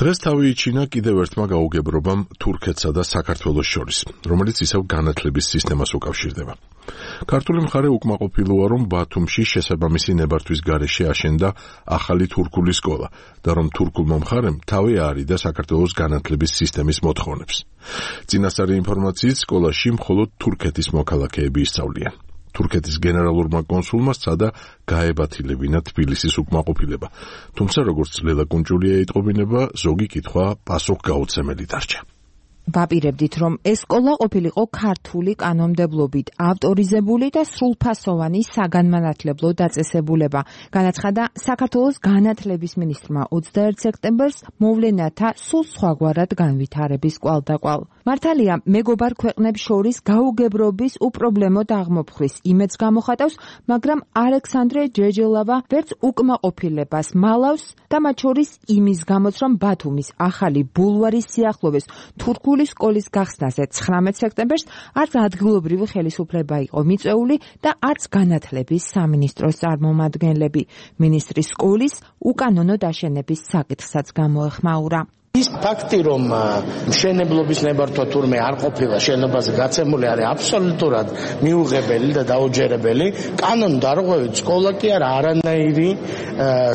დღეს თავი იჩინა კიდევ ერთმა გაუგებრობამ თურქეთსა და საქართველოს შორის, რომელიც ისევ განათლების სისტემას უკავშირდება. ქართული მხარე უკმაყოფილოა, რომ ბათუმში შესაბამისი ნებართვის გარეშე აშენდა ახალი თურქული სკოლა და რომ თურქულმა მხარემ თავი აარიდა საქართველოს განათლების სისტემის მოთხოვნებს. წინასწარი ინფორმაციით სკოლაში მხოლოდ თურქეთის მოქალაქეები ისწავლიან. თურქეთის გენერალურმა კონსულმა სცადა გაებათილებინა თბილისის უკმაყოფილება, თუმცა როგორც ლელა კუნჭულია იტყობინება, ზოგი კითხვა პასუხგაუცემელი დარჩა. ვაპირებდით, რომ ეს სკოლა ყოფილიყო ქართული კანონმდებლობით ავტორიზებული და სრულფასოვანი საგანმანათლებლო დაწესებულება. განაცხადა საქართველოს განათლების მინისტრმა 21 სექტემბერს მოვლენათა სულ სხვაგვარად განვითარების კვალდაკვალ. მართალია, მეგობარ ქვეყნებს შორის გაუგებრობის უპრობლემოდ აღმოფხვის იმედს გამოხატავს, მაგრამ ალექსანდრე ჯეჯელავა ვერც უკმაყოფილებას მალავს და მათ შორის იმის გამოც, რომ ბათუმის ახალი ბულვარის სიახლოვეს თურქული სკოლის გახსნაზე 19 სექტემბერს არც ადგილობრივი ხელისუფლება იყო მიწვეული და არც განათლების სამინისტროს წარმომადგენლები. მინისტრის სკოლის უკანონო დაშენების საკითხსაც გამოეხმაურა. ის ფაქტი, რომ მშენებლობის ნებართვა თურმე არ ყოფილა შენობაზე გაცემული, არის აბსოლუტურად მიუღებელი და დაუჯერებელი. კანონდარღვევით სკოლა კი არანაირი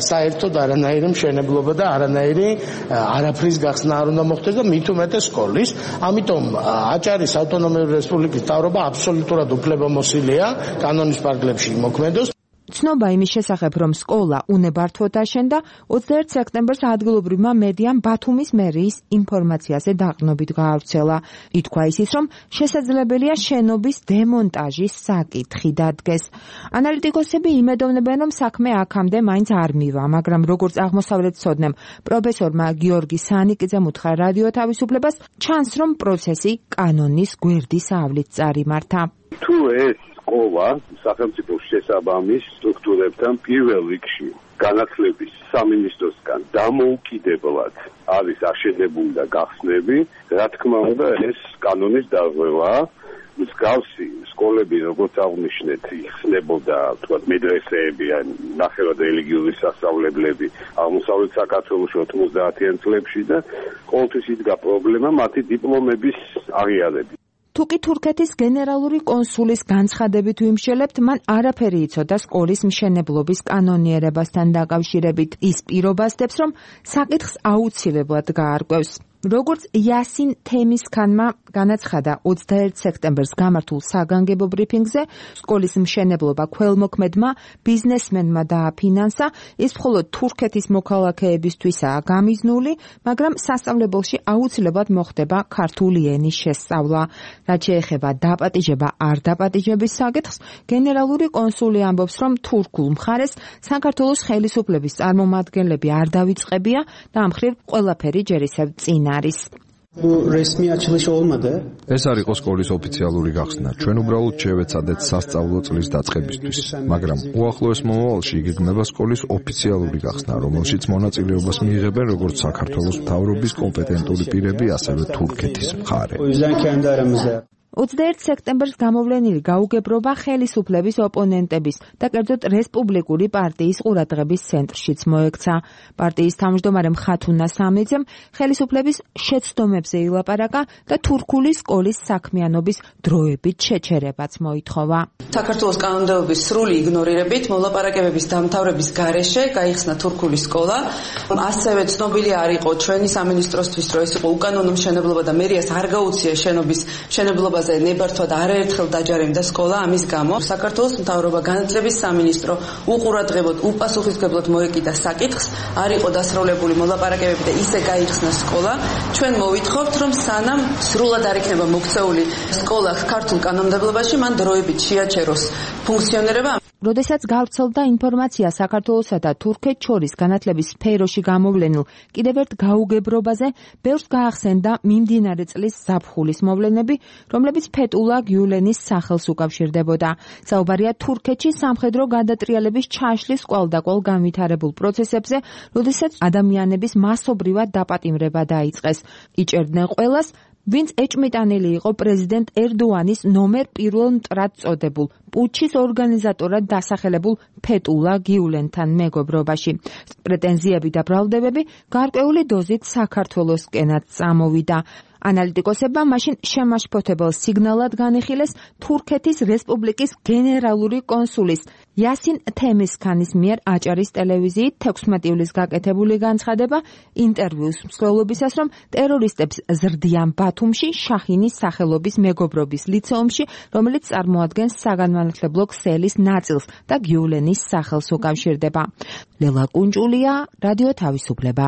საერთოდ არანაირი მშენებლობა და არანაირი არაფრის გახსნა არ უნდა მოხდეს და მით უმეტეს სკოლის. ამიტომ აჭარის ავტონომიური რესპუბლიკის მთავრობა აბსოლუტურად უფლებამოსილია კანონის პარკლებში იმოქმედოს. ცნობა იმის შესახებ, რომ სკოლა უნებართვოდ აშენდა 21 სექტემბერს ადგილობრივმა მედიამ ბათუმის მერიის ინფორმაციაზე დაყრდნობით გაავრცელა. ითქვა ისიც, რომ შესაძლებელია შენობის დემონტაჟის საკითხი დადგეს. ანალიტიკოსები იმედოვნებენ, რომ საქმე აქამდე მაინც არ მივა, მაგრამ როგორც აღმოსავლეთმცოდნემ პროფესორმა გიორგი სანიკიძემ უთხრა რადიო თავისუფლებას, ჩანს, რომ პროცესი კანონის გვერდის ავლით წარიმართა. თუ ეს სკოლა სახელმწიფოს შესაბამის სტრუქტურებთან პირველ რიგში განათლების სამინისტროსგან დამოუკიდებლად არის აშენებული და გახსნები, რა თქმა უნდა, ეს კანონის დარღვევაა. მსგავსი სკოლები, როგორც აღნიშნეთ, იხსნებოდა, თქვათ, მედრესეები, ან ნახევრად რელიგიური სასწავლებლები აღმოსავლეთ საქართველოში 90-იან წლებში და ყოველთვის იდგა პრობლემა მათი დიპლომების აღიარებით. თუკი თურქეთის გენერალური კონსულის განცხადებით ვიმშელებთ, მან არაფერი იცოდა სკოლის მშენებლობის კანონიერებასთან დაკავშირებით. ის პირობასდებს, რომ საკითხს აუცილებლად გაარკვევს. როგორც იასინ თემისქანმა განაცხადა 21 სექტემბერს გამართულ საგანგებო ბრიფინგზე, სკოლის მშენებლობა ქველმოქმედმა ბიზნესმენმა დააფინანსა. ის მხოლოდ თურქეთის მოქალაქეებისთვისაა გამიზნული, მაგრამ სასწავლებელში აუცილებლად მოხდება ქართული ენის შესწავლა. რაც შეეხება დაპატიჟება არ დაპატიჟების საკითხს, გენერალური კონსული ამბობს, რომ თურქულ მხარეს საქართველოს ხელისუფლების წარმომადგენლები არ დავიწყებია და ამ მხრივ ყველაფერი ჯერ ისევ წინ არის. ეს არ იყო სკოლის ოფიციალური გახსნა. ჩვენ უბრალოდ შევეცადეთ სასწავლო წლის დაწყებისთვის, მაგრამ უახლოეს მომავალში იგეგმება სკოლის ოფიციალური გახსნა, რომელშიც მონაწილეობას მიიღებენ როგორც საქართველოს მთავრობის კომპეტენტური პირები, ასევე თურქეთის მხარე. 21 სექტემბერს გამოვლენილი გაუგებრობა ხელისუფლების ოპონენტების და კერძოდ რესპუბლიკური პარტიის ყურადღების ცენტრშიც მოექცა. პარტიის თავმჯდომარე მხათუნა სამნიძემ ხელისუფლების შეცდომებზე ილაპარაკა და თურქული სკოლის საქმიანობის დროებით შეჩერებაც მოითხოვა. საქართველოს კანონმდებლობის სრული იგნორირებით მოლაპარაკებების დამთავრების გარეშე გაიხსნა თურქული სკოლა. ასევე ცნობილი არ იყო ჩვენი სამინისტროსთვის, რომ ეს იყო უკანონო მშენებლობა და მერიას არ გაუწია შენობის მშენებლობაზე ნებართვა და არაერთხელ დაჯარიმდა სკოლა. ამის გამო საქართველოს მთავრობა, განათლების სამინისტრო უყურადღებოდ, უპასუხისმგებლოდ მოეკიდა საკითხს, არ იყო დასრულებული მოლაპარაკებები და ისე გაიხსნა სკოლა. ჩვენ მოვითხოვთ, რომ სანამ სრულად არ იქნება მოქცეული სკოლა ქართულ კანონმდებლობაში, მან დროებით შეაჩეროს ფუნქციონირება. როდესაც გავრცელდა ინფორმაცია საქართველოსა და თურქეთს შორის განათლების სფეროში გამოვლენილ კიდევ ერთ გაუგებრობაზე, ბევრს გაახსენდა მიმდინარე წლის ზაფხულის მოვლენები, რომლებიც ფეტულა გიულენის სახელს უკავშირდებოდა. საუბარია თურქეთში სამხედრო გადატრიალების ჩაშლის კვალდაკვალ განვითარებულ პროცესებზე, როდესაც ადამიანების მასობრივად დაპატიმრება დაიწყეს. იჭერდნენ ყველას, ვინც ეჭმიტანილი იყო პრეზიდენტ ერდოანის ნომერ 1 მტრად წოდებულ პუჩის ორგანიზატორად დასახელებულ ფეტულა გიულენთან მეგობრობაში. პრეტენზიები და ბრალდებები გარკვეული დოზით საქართველოსკენაც წამოვიდა. ანალიტიკოსებმა მაშინ შემაშფოთებელ სიგნალად განიხილეს თურქეთის რესპუბლიკის გენერალური კონსულის იასინ თემისქანის მიერ აჭარის ტელევიზიით 16 ივლისს გაკეთებული განცხადება ინტერვიუს მსვლელობისას, რომ ტერორისტებს ზრდიან ბათუმში შაჰინის სახელობის მეგობრობის ლიცეუმში, რომელიც წარმოადგენს საგანმანათლებლო ქსელის ნაწილს და გიულენის სახელს უკავშირდება. ლელა კუნჭულია, რადიო თავისუფლება.